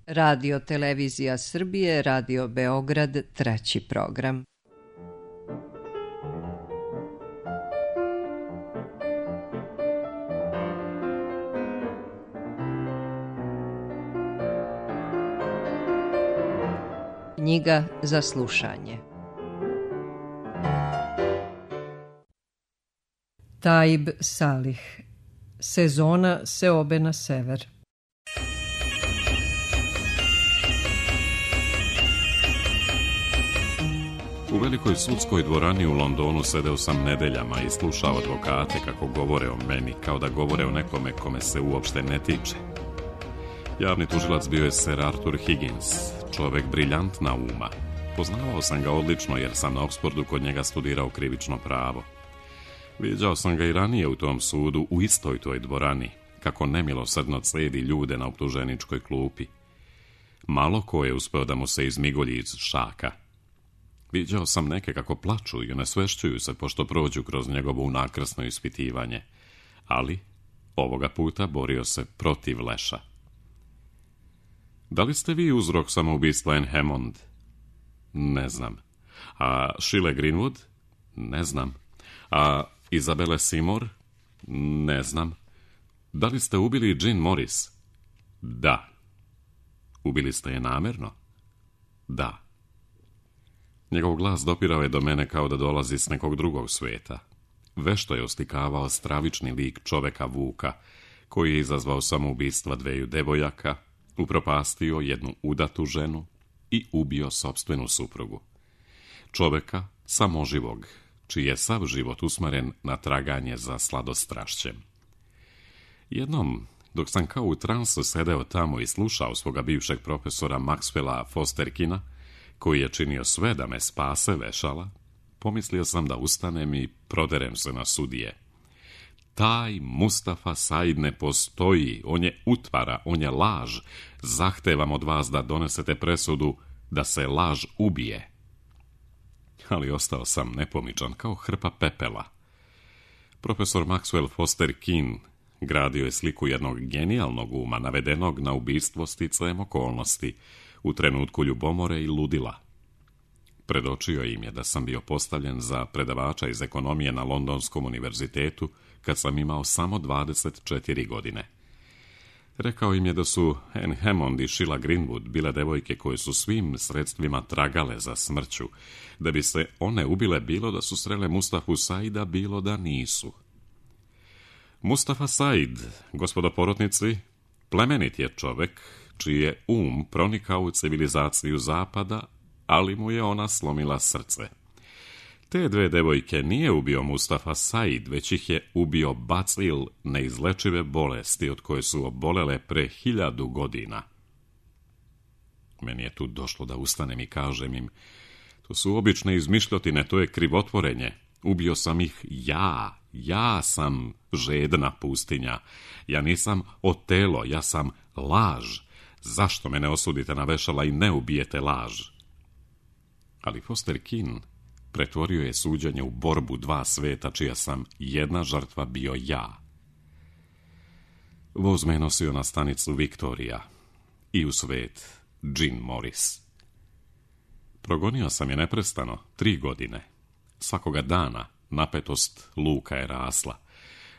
Radio Televizija Srbije, Radio Beograd, 3. program. Knjiga za slušanje. Taib Salih. Sezona seobe na sever. U velikoj sudskoj dvorani u Londonu sedeo sam nedeljama i slušao advokate kako govore o meni, kao da govore o nekome kome se uopšte ne tiče. Javni tužilac bio je Sir Arthur Higgins, čovek briljantna uma. Poznavao sam ga odlično jer sam na Oxfordu kod njega studirao krivično pravo. Viđao sam ga i ranije u tom sudu, u istoj toj dvorani, kako nemilosrdno cedi ljude na optuženičkoj klupi. Malo ko je uspeo da mu se izmigolji iz šaka. Viđao sam neke kako plaču i onesvešćuju se pošto prođu kroz njegovo unakrsno ispitivanje, ali ovoga puta borio se protiv leša. Da li ste vi uzrok samoubistva Anne Hammond? Ne znam. A Sheila Greenwood? Ne znam. A Isabelle Seymour? Ne znam. Da li ste ubili Jean Morris? Da. Ubili ste je namerno? Da. Njegov glas dopirao je do mene kao da dolazi s nekog drugog sveta. Vešto je oslikavao stravični lik čoveka Vuka, koji je izazvao samoubistva dveju devojaka, upropastio jednu udatu ženu i ubio sopstvenu suprugu. Čoveka samoživog, čiji je sav život usmeren na traganje za sladostrašćem. Jednom, dok sam kao u transu sedeo tamo i slušao svoga bivšeg profesora Maxwella Fosterkina, koji je činio sve da me spase vešala, pomislio sam da ustanem i proderem se na sudije. Taj Mustafa Said ne postoji, on je utvara, on je laž. Zahtevam od vas da donesete presudu da se laž ubije. Ali ostao sam nepomičan kao hrpa pepela. Profesor Maxwell Foster-Keen gradio je sliku jednog genijalnog uma navedenog na ubistvo sticajem okolnosti, u trenutku ljubomore i ludila. Predočio im je da sam bio postavljen za predavača iz ekonomije na Londonskom univerzitetu kad sam imao samo 24 godine. Rekao im je da su Anne Hammond i Sheila Greenwood bile devojke koje su svim sredstvima tragale za smrću, da bi se one ubile bilo da su srele Mustafu Saida, bilo da nisu. Mustafa Said, gospodo porotnici, plemenit je čovek, čiji je pronikao u civilizaciju zapada, ali mu je ona slomila srce. Te dve devojke nije ubio Mustafa Said, već ih je ubio bacil neizlečive bolesti od koje su obolele pre 1000 godina. Meni je tu došlo da ustanem i kažem im, to su obične izmišljotine, to je krivotvorenje. Ubio sam ih ja sam žedna pustinja. Ja nisam Otelo, ja sam laž. Zašto me ne osudite na vešala i ne ubijete laž? Ali Foster-Keen pretvorio je suđenje u borbu dva sveta, čija sam jedna žrtva bio ja. Voz me nosio na stanicu Viktorija i u svet Jean Morris. Progonio sam je neprestano 3 godine. Svakoga dana napetost luka je rasla.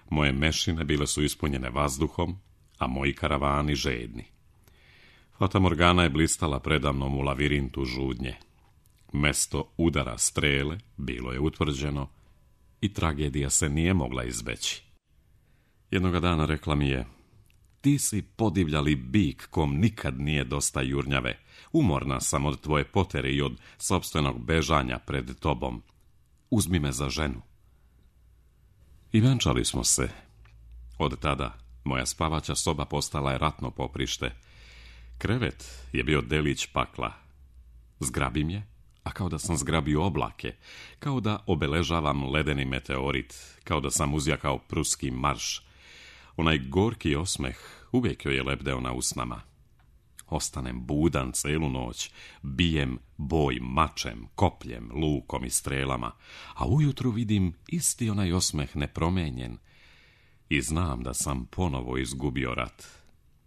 Moje mešine bile su ispunjene vazduhom, a moji karavani žedni. Fata Morgana je blistala predamnom u lavirintu žudnje. Mesto udara strele bilo je utvrđeno i tragedija se nije mogla izbeći. Jednoga dana rekla mi je, ti si podivljali bik kom nikad nije dosta jurnjave. Umorna sam od tvoje potere i od sopstvenog bežanja pred tobom. Uzmi me za ženu. I venčali smo se. Od tada moja spavaća soba postala je ratno poprište. Krevet je bio delić pakla. Zgrabim je, a kao da sam zgrabio oblake, kao da obeležavam ledeni meteorit, kao da sam uzjakao pruski marš. Onaj gorki osmeh uvijek joj je lebdeo na usnama. Ostanem budan celu noć, bijem boj mačem, kopljem, lukom i strelama, a ujutru vidim isti onaj osmeh nepromenjen i znam da sam ponovo izgubio rat,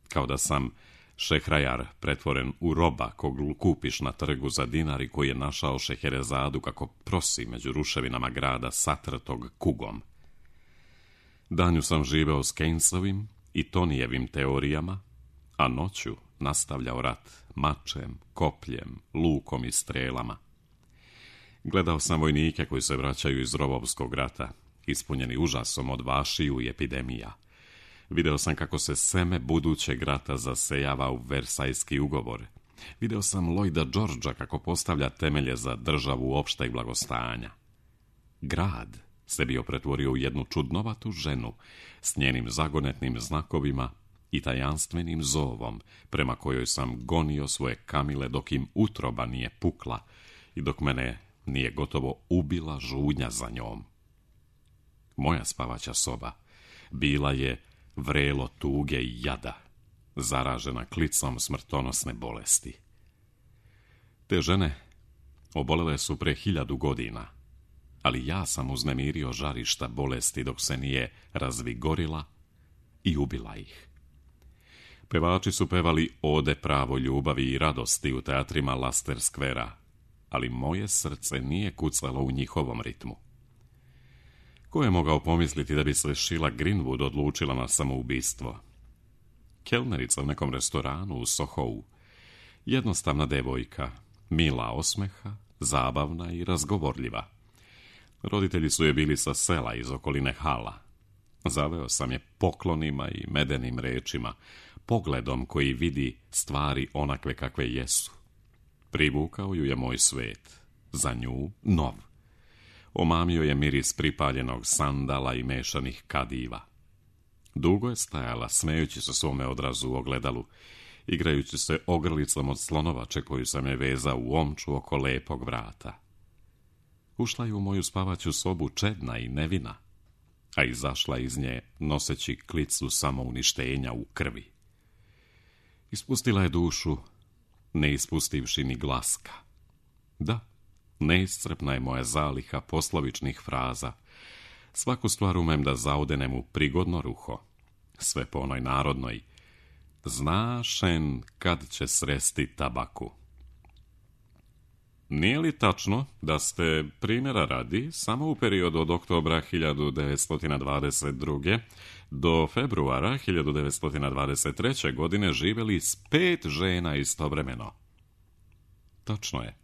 kao da sam Šehrajar pretvoren u roba kog kupiš na trgu za dinar i koji je našao Šeherezadu kako prosi među ruševinama grada satrtog kugom. Danju sam živeo s Keynesovim i Tonijevim teorijama, a noću nastavljao rat mačem, kopljem, lukom i strelama. Gledao sam vojnike koji se vraćaju iz rovovskog rata, ispunjeni užasom od vašiju i epidemija. Video sam kako se seme budućeg rata zasejava u Versajski ugovor. Video sam Lloyda Georgea kako postavlja temelje za državu opšteg blagostanja. Grad se bio pretvorio u jednu čudnovatu ženu s njenim zagonetnim znakovima i tajanstvenim zovom prema kojoj sam gonio svoje kamile dok im utroba nije pukla i dok mene nije gotovo ubila žudnja za njom. Moja spavaća soba bila je vrelo tuge i jada, zaražena klicom smrtonosne bolesti. Te žene obolele su pre 1000 godina, ali ja sam uznemirio žarišta bolesti dok se nije razvigorila i ubila ih. Pevači su pevali ode pravo ljubavi i radosti u teatrima Leicester Squarea, ali moje srce nije kucalo u njihovom ritmu. Ko je mogao pomisliti da bi se Sheila Greenwood odlučila na samoubistvo? Kelnerica u nekom restoranu u Sohou, jednostavna devojka, mila osmeha, zabavna i razgovorljiva. Roditelji su je bili sa sela iz okoline Hala. Zaveo sam je poklonima i medenim rečima, pogledom koji vidi stvari onakve kakve jesu. Privukao ju je moj svet, za nju nov. Omamio je miris pripaljenog sandala i mešanih kadiva. Dugo je stajala, smejući se svome odrazu u ogledalu, igrajući se ogrlicom od slonovače koju sam je vezao u omču oko lepog vrata. Ušla je u moju spavaću sobu čedna i nevina, a izašla iz nje noseći klicu samouništenja u krvi. Ispustila je dušu, ne ispustivši ni glaska. Da, neiscrpna je moja zaliha poslovičnih fraza. Svaku stvar umem da zaudenem u prigodno ruho. Sve po onoj narodnoj: znašen kad će sresti tabaku. Nije li tačno da ste, primjera radi, samo u periodu od oktobra 1922. do februara 1923. godine živjeli s 5 žena istovremeno? Tačno je.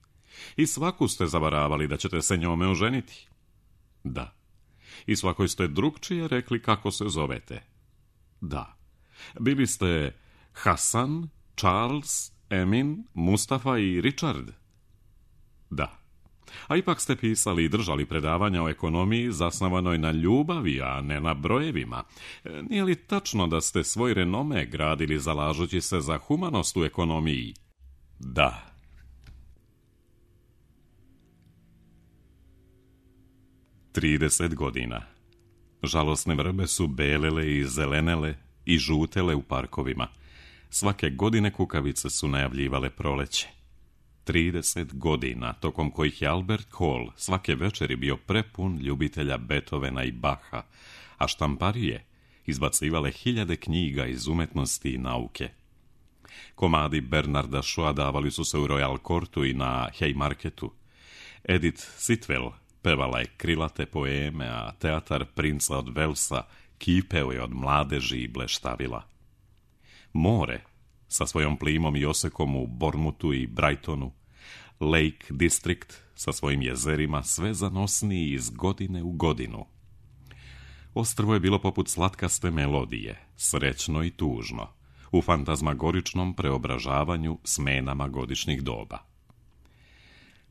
I svaku ste zavaravali da ćete se njome oženiti? Da. I svakoj ste drugčije rekli kako se zovete? Da. Bili ste Hasan, Charles, Emin, Mustafa i Richard? Da. A ipak ste pisali i držali predavanja o ekonomiji zasnovanoj na ljubavi, a ne na brojevima. Nije li tačno da ste svoj renome gradili zalažući se za humanost u ekonomiji? Da. Trideset godina. Žalosne vrbe su belele i zelenele i žutele u parkovima. Svake godine kukavice su najavljivale proleće. 30 godina, tokom kojih je Albert Hall svake večeri bio prepun ljubitelja Beethovena i Bacha, a štamparije izbacivale 1000 knjiga iz umetnosti i nauke. Komadi Bernarda Shaw'a davali su se u Royal Courtu i na Haymarketu. Edith Sitwell pevala je krilate poeme, a teatar Princa od Velsa kipeo je od mladeži i bleštavila. More, sa svojom plimom i osekom u Bournemouthu i Brightonu, Lake District sa svojim jezerima sve zanosniji iz godine u godinu. Ostrvo je bilo poput slatkaste melodije, srećno i tužno, u fantazmagoričnom preobražavanju smenama godišnjih doba.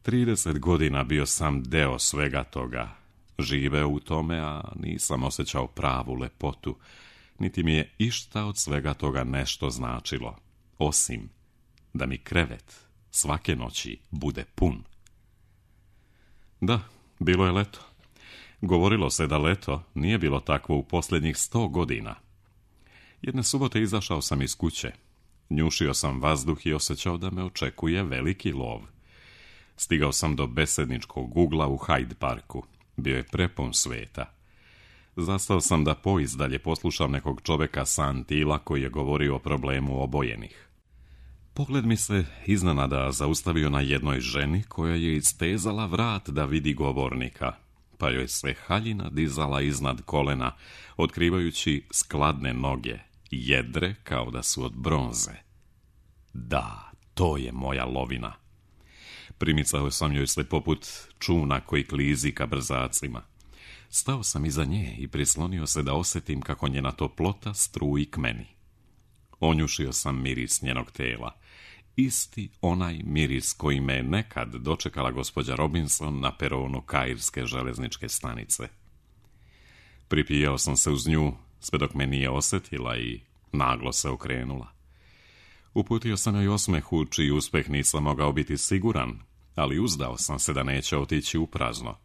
30 godina bio sam deo svega toga, živeo u tome, a nisam osjećao pravu lepotu, niti mi je išta od svega toga nešto značilo, osim da mi krevet svake noći bude pun. Da, bilo je leto. Govorilo se da leto nije bilo takvo u posljednjih 100 godina. Jedne subote izašao sam iz kuće. Njušio sam vazduh i osjećao da me očekuje veliki lov. Stigao sam do besedničkog ugla u Hyde Parku. Bio je prepun sveta. Zastao sam da poizdalje poslušam nekog čoveka sa Antila koji je govorio o problemu obojenih. Pogled mi se iznenada zaustavio na jednoj ženi koja je istezala vrat da vidi govornika, pa joj se haljina dizala iznad kolena, otkrivajući skladne noge, jedre kao da su od bronze. Da, to je moja lovina. Primicao sam joj se poput čuna koji klizi ka brzacima. Stao sam iza nje i prislonio se da osjetim kako njena toplota struji k meni. Onjušio sam miris njenog tela, isti onaj miris koji me nekad dočekala gospođa Robinson na peronu kairske železničke stanice. Pripijao sam se uz nju, sve dok me nije osjetila i naglo se okrenula. Uputio sam joj osmeh, čiji uspeh nisam mogao biti siguran, ali uzdao sam se da neće otići u prazno.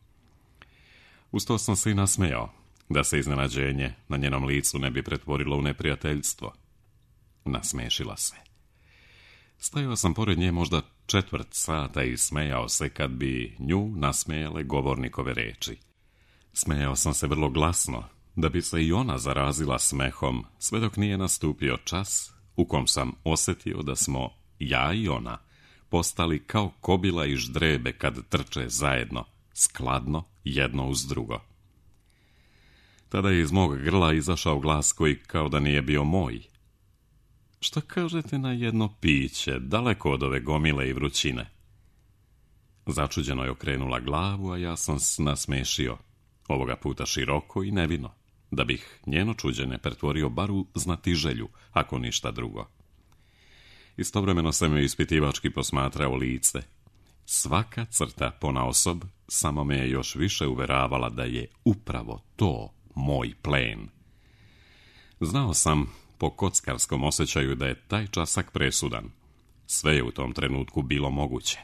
Uz to sam se i nasmejao, da se iznenađenje na njenom licu ne bi pretvorilo u neprijateljstvo. Nasmešila se. Stajao sam pored nje možda 1/4 sata i smejao se kad bi nju nasmejale govornikove reči. Smejao sam se vrlo glasno, da bi se i ona zarazila smehom, sve dok nije nastupio čas u kom sam osjetio da smo, ja i ona, postali kao kobila i ždrebe kad trče zajedno, skladno, jedno uz drugo. Tada je iz mog grla izašao glas koji kao da nije bio moj. Šta kažete na jedno piće, daleko od ove gomile i vrućine? Začuđeno je okrenula glavu, a ja sam nasmešio, ovoga puta široko i nevino, da bih njeno čuđenje pretvorio bar u znatiželju, ako ništa drugo. Istovremeno sam joj ispitivački posmatrao lice. Svaka crta ponaosob samo me je još više uveravala da je upravo to moj plen. Znao sam po kockarskom osjećaju da je taj časak presudan. Sve je u tom trenutku bilo moguće.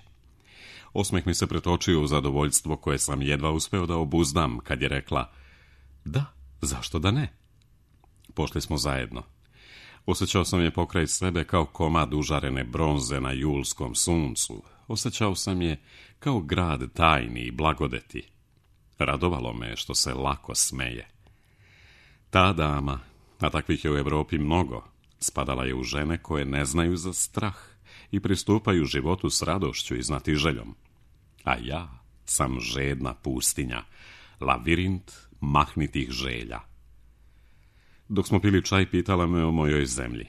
Osmeh mi se pretočio u zadovoljstvo koje sam jedva uspeo da obuzdam kad je rekla: da, zašto da ne? Pošli smo zajedno. Osjećao sam je pokraj sebe kao komad užarene bronze na julskom suncu. Osjećao sam je kao grad tajni i blagodeti. Radovalo me što se lako smeje. Ta dama, a takvih je u Europi mnogo, spadala je u žene koje ne znaju za strah i pristupaju životu s radošću i znatiželjom. A ja sam žedna pustinja, lavirint mahnitih želja. Dok smo pili čaj, pitala me o mojoj zemlji.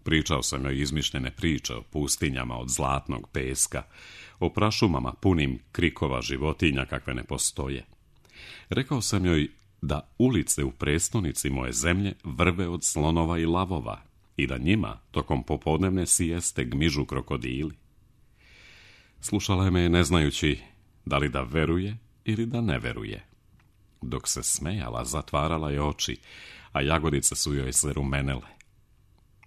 Pričao sam joj izmišljene priče o pustinjama od zlatnog peska, o prašumama punim krikova životinja kakve ne postoje. Rekao sam joj da ulice u prestonici moje zemlje vrve od slonova i lavova i da njima tokom popodnevne sijeste gmižu krokodili. Slušala je me ne znajući da li da veruje ili da ne veruje. Dok se smejala, zatvarala je oči, a jagodice su joj se rumenele.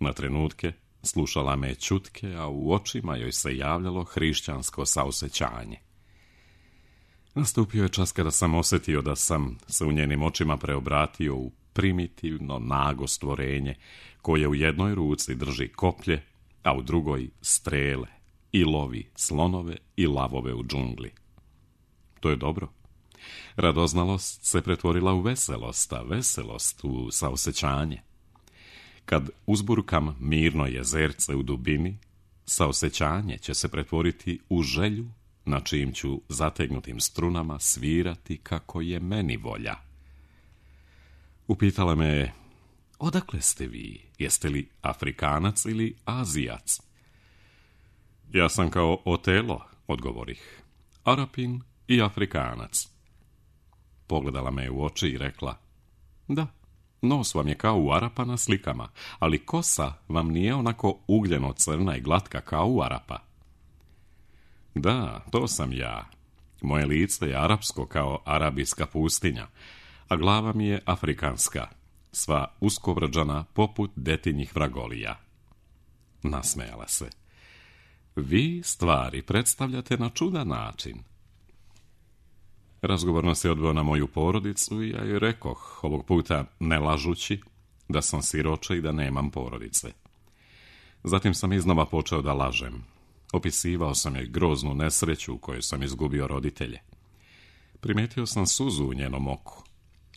Na trenutke slušala me ćutke, a u očima joj se javljalo hrišćansko saosećanje. Nastupio je čas kada sam osjetio da sam se u njenim očima preobratio u primitivno nago stvorenje koje u jednoj ruci drži koplje, a u drugoj strele i lovi slonove i lavove u džungli. To je dobro. Radoznalost se pretvorila u veselost, a veselost u saosećanje. Kad uzburkam mirno jezerce u dubini, saosećanje će se pretvoriti u želju na čijim ću zategnutim strunama svirati kako je meni volja. Upitala me je: odakle ste vi? Jeste li Afrikanac ili Azijac? Ja sam kao Otelo, odgovorih, Arapin i Afrikanac. Pogledala me u oči i rekla: da, nos vam je kao u Arapa na slikama, ali kosa vam nije onako ugljeno crna i glatka kao u Arapa. Da, to sam ja. Moje lice je arapsko kao arabijska pustinja, a glava mi je afrikanska, sva uskovrađana poput detinjih vragolija. Nasmejala se. Vi stvari predstavljate na čudan način. Razgovor nas je odveo na moju porodicu i ja joj rekoh, ovog puta ne lažući, da sam siroče i da nemam porodice. Zatim sam iznova počeo da lažem. Opisivao sam joj groznu nesreću u kojoj sam izgubio roditelje. Primetio sam suzu u njenom oku.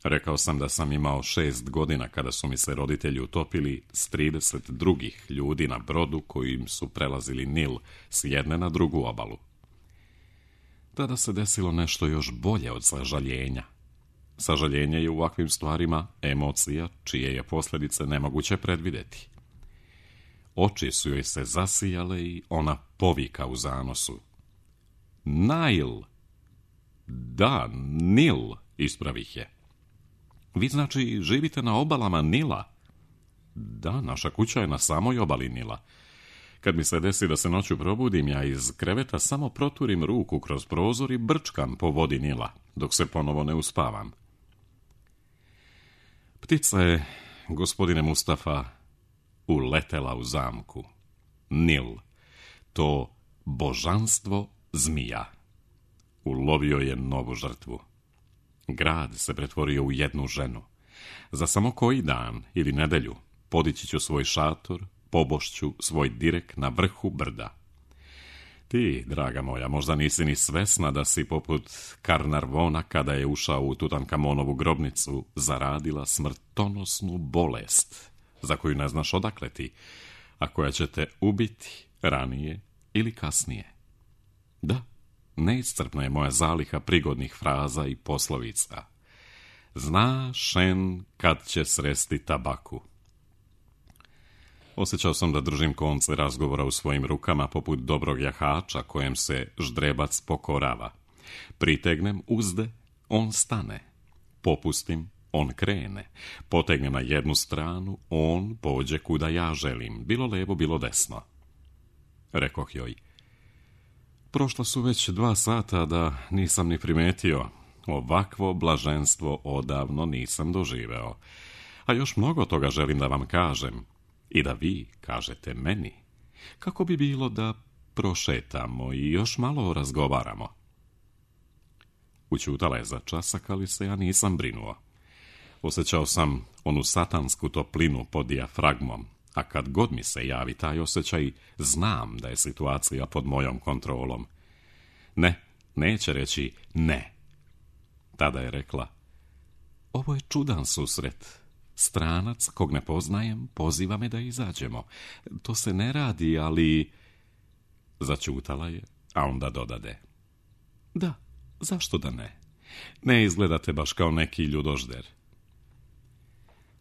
Rekao sam da sam imao 6 godina kada su mi se roditelji utopili s 30 drugih ljudi na brodu kojim su prelazili Nil s jedne na drugu obalu. Tada se desilo nešto još bolje od sažaljenja. Sažaljenje je u ovakvim stvarima emocija čije je posljedice nemoguće predvidjeti. Oči su joj se zasijale i ona povika u zanosu. Nile! Da, Nil, ispravih je. Vi znači živite na obalama Nila? Da, naša kuća je na samoj obali Nila. Kad mi se desi da se noću probudim, ja iz kreveta samo proturim ruku kroz prozor i brčkam po vodi Nila, dok se ponovo ne uspavam. Ptica je, gospodine Mustafa, uletela u zamku. Nil, to božanstvo zmija. Ulovio je novu žrtvu. Grad se pretvorio u jednu ženu. Za samo koji dan ili nedelju podići ću svoj šator, pobošću svoj direk na vrhu brda. Ti, draga moja, možda nisi ni svesna da si poput Karnarvona kada je ušao u Tutankamonovu grobnicu zaradila smrtonosnu bolest za koju ne znaš odakle ti, a koja će te ubiti ranije ili kasnije. Da, neiscrpna je moja zaliha prigodnih fraza i poslovica. Zna šen kad će sresti tabaku. Osjećao sam da držim konce razgovora u svojim rukama poput dobrog jahača kojem se ždrebac pokorava. Pritegnem uzde, on stane. Popustim, on krene. Potegnem na jednu stranu, on pođe kuda ja želim, bilo levo, bilo desno. Rekoh joj. Prošla su već 2 sata da nisam ni primetio. Ovakvo blaženstvo odavno nisam doživeo. A još mnogo toga želim da vam kažem. I da vi kažete meni. Kako bi bilo da prošetamo i još malo razgovaramo? Učutala je za časak, ali se ja nisam brinuo. Osjećao sam onu satansku toplinu pod dijafragmom, a kad god mi se javi taj osjećaj, znam da je situacija pod mojom kontrolom. Ne, neće reći ne. Tada je rekla, ovo je čudan susret. Stranac, kog ne poznajem, poziva me da izađemo. To se ne radi, ali... Začutala je, a onda dodade. Da, zašto da ne? Ne izgledate baš kao neki ljudožder.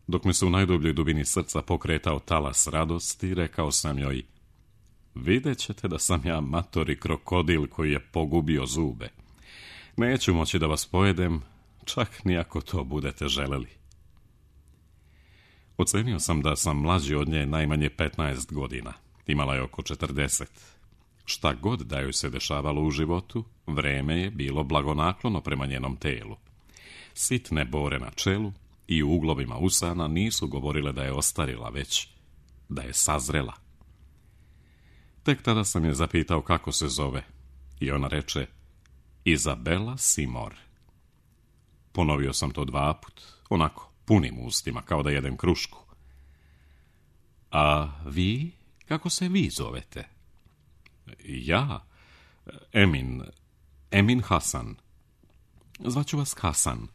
Dok mi se u najdubljoj dubini srca pokretao talas radosti, rekao sam joj, vidjet ćete da sam ja matori krokodil koji je pogubio zube. Neću moći da vas pojedem, čak ni ako to budete želeli. Ocenio sam da sam mlađi od nje najmanje 15 godina. Imala je oko 40. Šta god da joj se dešavalo u životu, vreme je bilo blagonaklono prema njenom telu. Sitne bore na čelu i u uglovima usana nisu govorile da je ostarila, već da je sazrela. Tek tada sam je zapitao kako se zove i ona reče Izabela Simor. Ponovio sam to 2 put, onako, punim ustima, kao da jedem krušku. A vi, kako se vi zovete? Ja, Emin Hasan. Zvaću vas Hasan.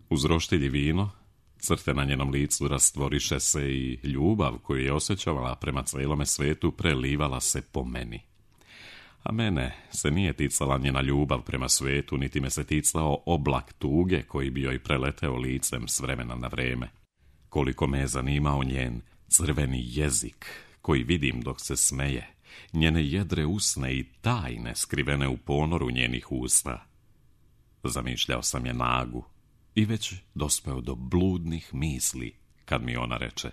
Uz roštilj i vino, crte na njenom licu rastvoriše se i ljubav koju je osjećavala prema cijelome svetu prelivala se po meni. A mene se nije ticala njena ljubav prema svetu, niti me se ticao oblak tuge koji bi joj preleteo licem s vremena na vreme. Koliko me je zanimao njen crveni jezik, koji vidim dok se smeje, njene jedre usne i tajne skrivene u ponoru njenih usta. Zamišljao sam je nagu i već dospeo do bludnih misli, kad mi ona reče: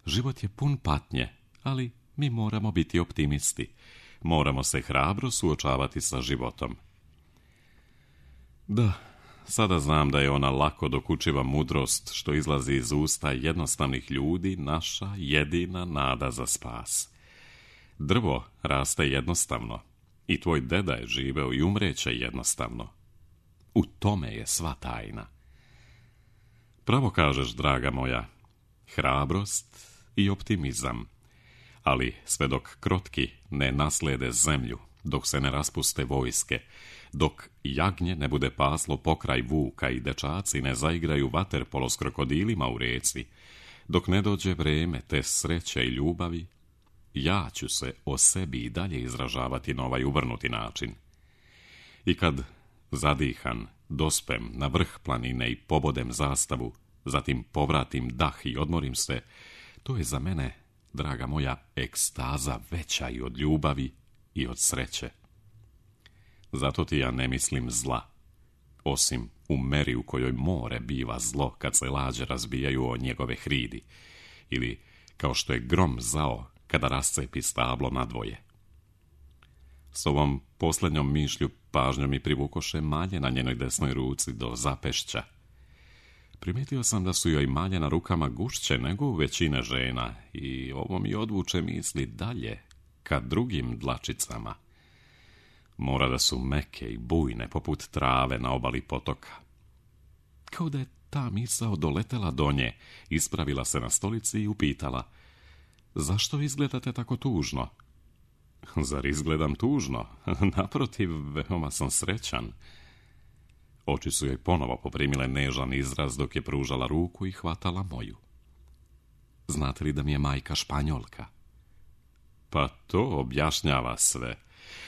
život je pun patnje, ali mi moramo biti optimisti. Moramo se hrabro suočavati sa životom. Da, sada znam da je ona lako dokučiva mudrost što izlazi iz usta jednostavnih ljudi naša jedina nada za spas. Drvo raste jednostavno i tvoj deda je živeo i umreće jednostavno. U tome je sva tajna. Pravo kažeš, draga moja, hrabrost i optimizam. Ali sve dok krotki ne naslede zemlju dok se ne raspuste vojske, dok jagnje ne bude paslo pokraj vuka i dečaci ne zaigraju vaterpolo s krokodilima u reci, dok ne dođe vreme te sreće i ljubavi, ja ću se o sebi i dalje izražavati na ovaj uvrnuti način. I kad zadihan dospem na vrh planine i pobodem zastavu, zatim povratim dah i odmorim se, to je za mene, draga moja, ekstaza veća i od ljubavi i od sreće. Zato ti ja ne mislim zla, osim u meri u kojoj more biva zlo kad se lađe razbijaju o njegove hridi, ili kao što je grom zao kada rascepi stablo nadvoje. S ovom posljednjom mišlju pažnjom mi privukoše malje na njenoj desnoj ruci do zapešća. Primijetio sam da su joj malje na rukama gušće nego u većine žena i ovo mi odvuče misli dalje ka drugim dlačicama. Mora da su meke i bujne poput trave na obali potoka. Kao da je ta misao doletela do nje, ispravila se na stolici i upitala: zašto izgledate tako tužno? Zar izgledam tužno? Naprotiv, veoma sam srećan. Oči su joj ponovo poprimile nežan izraz dok je pružala ruku i hvatala moju. Znate li da mi je majka Španjolka? Pa to objašnjava sve.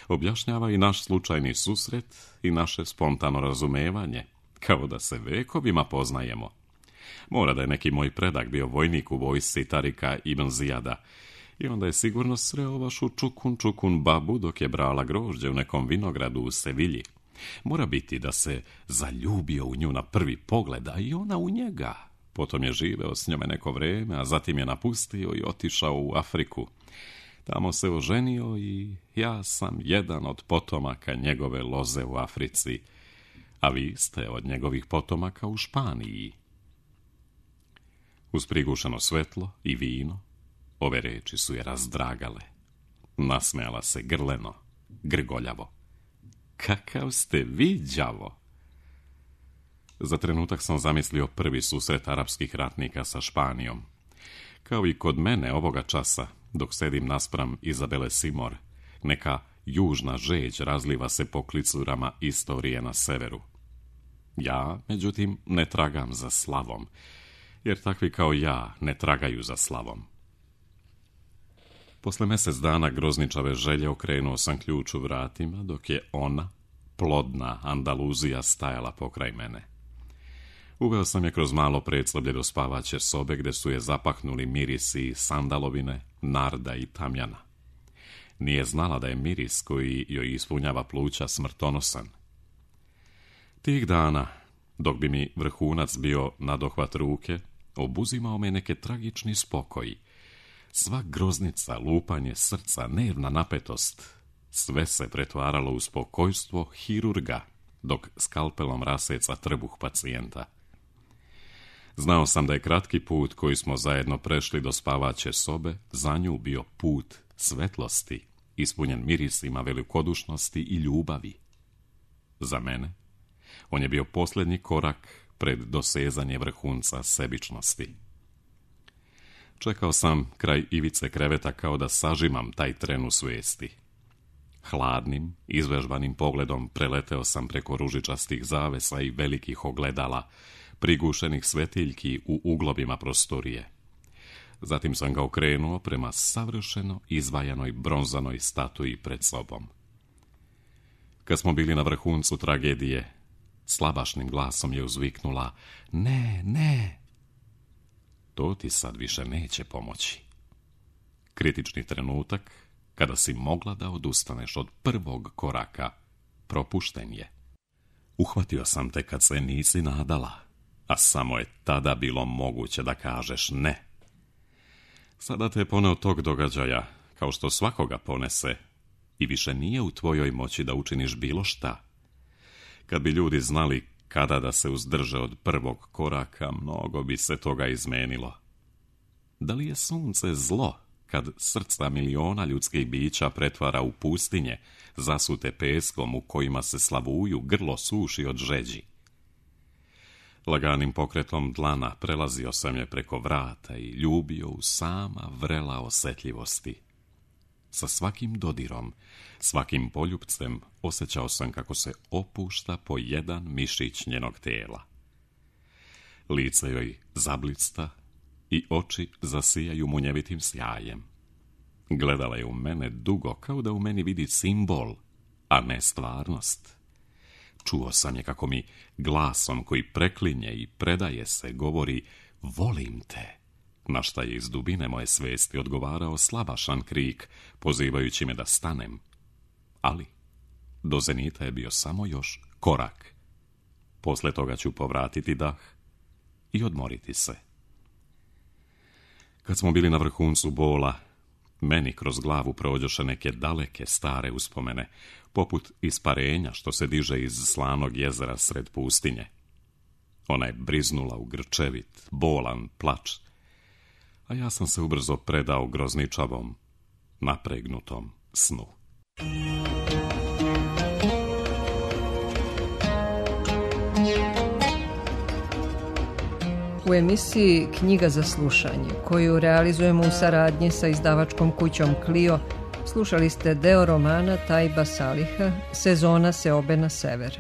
Objašnjava i naš slučajni susret i naše spontano razumevanje, kao da se vekovima poznajemo. Mora da je neki moj predak bio vojnik u vojsci Tarika ibn Zijada, i onda je sigurno sreo vašu čukun babu dok je brala grožđe u nekom vinogradu u Sevilji. Mora biti da se zaljubio u nju na prvi pogled, a i ona u njega. Potom je živeo s njome neko vreme, a zatim je napustio i otišao u Afriku. Tamo se oženio i ja sam jedan od potomaka njegove loze u Africi, a vi ste od njegovih potomaka u Španiji. Uz prigušeno svetlo i vino, ove reči su je razdragale. Nasmejala se grleno, grgoljavo. Kakav ste vi, đavo! Za trenutak sam zamislio prvi susret arapskih ratnika sa Španijom. Kao i kod mene ovoga časa, dok sedim naspram Izabele Simor, neka južna žeđ razliva se po klicurama istorije na severu. Ja, međutim, ne tragam za slavom, jer takvi kao ja ne tragaju za slavom. Posle mjesec dana grozničave želje okrenuo sam ključ u vratima, dok je ona, plodna Andaluzija, stajala pokraj mene. Uveo sam je kroz malo predsleblje do spavaće sobe, gde su je zapahnuli mirisi sandalovine, narda i tamjana. Nije znala da je miris koji joj ispunjava pluća smrtonosan. Tih dana, dok bi mi vrhunac bio na dohvat ruke, obuzimao me neke tragični spokoji. Sva groznica, lupanje srca, nervna napetost, sve se pretvaralo u spokojstvo hirurga, dok skalpelom raseca trbuh pacijenta. Znao sam da je kratki put koji smo zajedno prešli do spavaće sobe za nju bio put svetlosti, ispunjen mirisima velikodušnosti i ljubavi. Za mene, on je bio posljednji korak pred dosezanje vrhunca sebičnosti. Čekao sam kraj ivice kreveta kao da sažimam taj tren u svijesti. Hladnim, izvežbanim pogledom preleteo sam preko ružičastih zavesa i velikih ogledala, prigušenih svetiljki u uglovima prostorije. Zatim sam ga okrenuo prema savršeno izvajanoj bronzanoj statuji pred sobom. Kad smo bili na vrhuncu tragedije, slabašnim glasom je uzviknula: ne, ne! To ti sad više neće pomoći. Kritični trenutak, kada si mogla da odustaneš od prvog koraka, propušten je. Uhvatio sam te kad se nisi nadala, a samo je tada bilo moguće da kažeš ne. Sada te je poneo tog događaja, kao što svakoga ponese, i više nije u tvojoj moći da učiniš bilo šta. Kad bi ljudi znali kada da se uzdrže od prvog koraka, mnogo bi se toga izmenilo. Da li je sunce zlo, kad srca miliona ljudskih bića pretvara u pustinje, zasute peskom u kojima se slavuju, grlo suši od žeđi? Laganim pokretom dlana prelazio sam je preko vrata i ljubio u sama vrela osjetljivosti. Sa svakim dodirom, svakim poljupcem osjećao sam kako se opušta po jedan mišić njenog tijela. Lice joj zablicta i oči zasijaju munjevitim sjajem. Gledala je u mene dugo, kao da u meni vidi simbol, a ne stvarnost. Čuo sam je kako mi glasom koji preklinje i predaje se govori volim te, na šta je iz dubine moje svesti odgovarao slabašan krik, pozivajući me da stanem. Ali do zenita je bio samo još korak. Posle toga ću povratiti dah i odmoriti se. Kad smo bili na vrhuncu bola, meni kroz glavu prođoše neke daleke stare uspomene, poput isparenja što se diže iz slanog jezera sred pustinje. Ona je briznula u grčevit, bolan plač, a ja sam se ubrzo predao grozničavom, napregnutom snu. U emisiji Knjiga za slušanje, koju realizujemo u saradnji sa izdavačkom kućom Clio, slušali ste deo romana Tajba Saliha Sezona seobe na sever.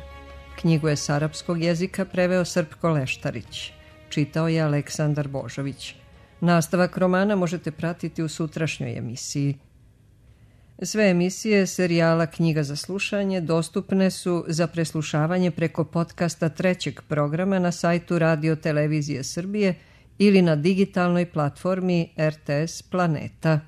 Knjigu je s arapskog jezika preveo Srpko Leštarić. Čitao je Aleksandar Božović. Nastavak romana možete pratiti u sutrašnjoj emisiji. Sve emisije serijala Knjiga za slušanje dostupne su za preslušavanje preko podcasta trećeg programa na sajtu Radio Televizije Srbije ili na digitalnoj platformi RTS Planeta.